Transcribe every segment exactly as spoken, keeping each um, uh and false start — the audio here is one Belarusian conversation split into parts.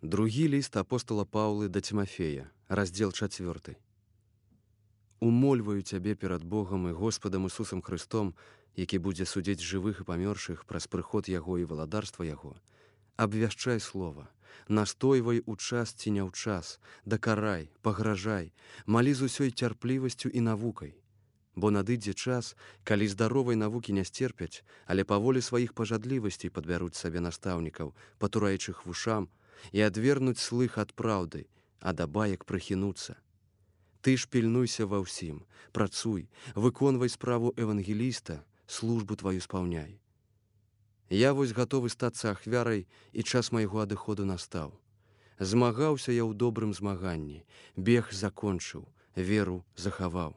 Другі ліст апостала Паўлы да Цімафея, раздзел чацвёрты. Умольваю цябе перад Богам і Господам Ісусам Христом, які будзе судзіць жывых і памёршых праз прыход Яго і валадарства Яго. Абвяшчай слова, настойвай у час ці не ў час, дакарай, пагражай, малі з усёй цярплівасцю і навукай. Бо надыдзе час, калі здаровай навукі не сцерпяць, але паволі сваіх пажадлівасцей падбяруць сабе настаўнікаў, патураючых вушам, і адвернуць слых ад праўды, а да баек прыхінуцца. Ты ж пільнуйся ва ўсім, працуй, выконвай справу евангеліста, службу тваю спаўняй. Я вось гатовы стацца ахвярай, і час майго адыходу настаў. Змагаўся я ў добрым змаганні, бег закончыў, веру захаваў.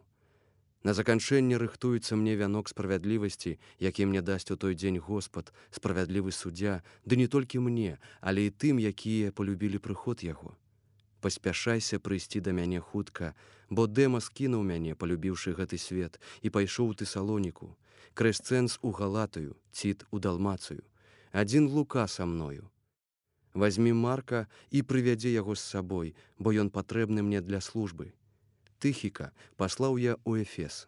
На заканчэнне рыхтуецца мне вянок справядлівасці, які мне дасць у той дзень Господ, справядлівы суддзя, ды не толькі мне, але і тым, якія полюбілі прыход яго. Паспяшайся прыйсці да мяне хутка, бо Дэмас кінуў мяне, полюбіўшы гэты свет, і пайшоў у Тэсалоніку, Крэсцэнс у Галатыю, Ціт у Далмацыю, адзін Лука са мною. Вазьмі Марка і прывядзі яго з сабой, бо ён патрэбны мне для службы. Тыхіка паслаў я ў Эфес.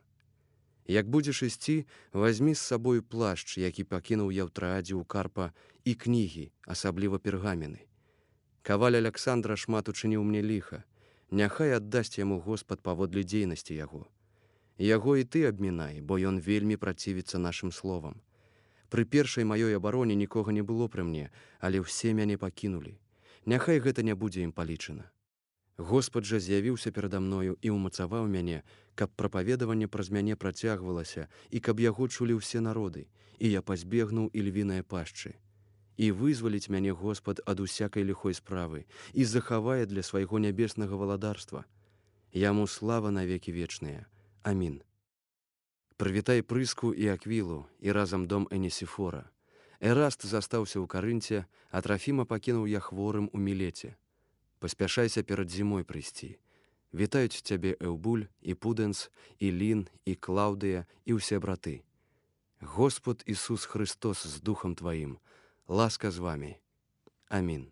Як будзеш ісці, вазьмі з сабою плашч, які пакінуў я ў Траадзе ў Карпа, і кнігі, асабліва пергамены. Каваль Аляксандра шмат учыніў мне ліха, няхай аддасць яму Господ паводле дзейнасці яго. Яго і ты абмінай, бо ён вельмі працівіцца нашым словам. Пры першай маёй абароне нікога не было пры мне, але ўсе мяне пакінулі. Няхай гэта не будзе ім палічана. Господ жа з'явіўся перада мною і ўмацаваў мяне, каб прапаведаванне праз мяне працягвалася і каб яго чулі ўсе народы, і я пазбегнуў і львінае пашчы. І вызваліць мяне Господ ад усякай ліхой справы і захавае для свайго нябеснага валадарства. Яму слава навекі вечныя. Амін. Прывітай Прыску і Аквілу і разам дом Энесіфора. Эраст застаўся ў Карынце, а Трафіма пакінуў я хворым у Мілеце. Паспяшайся перад зімой прыйсці. Вітаюць цябе Эўбуль і Пудэнс, і Лін, і Клаўдыя, і ўсе браты. Господ Ісус Христос з духам тваім, ласка з вамі. Амін.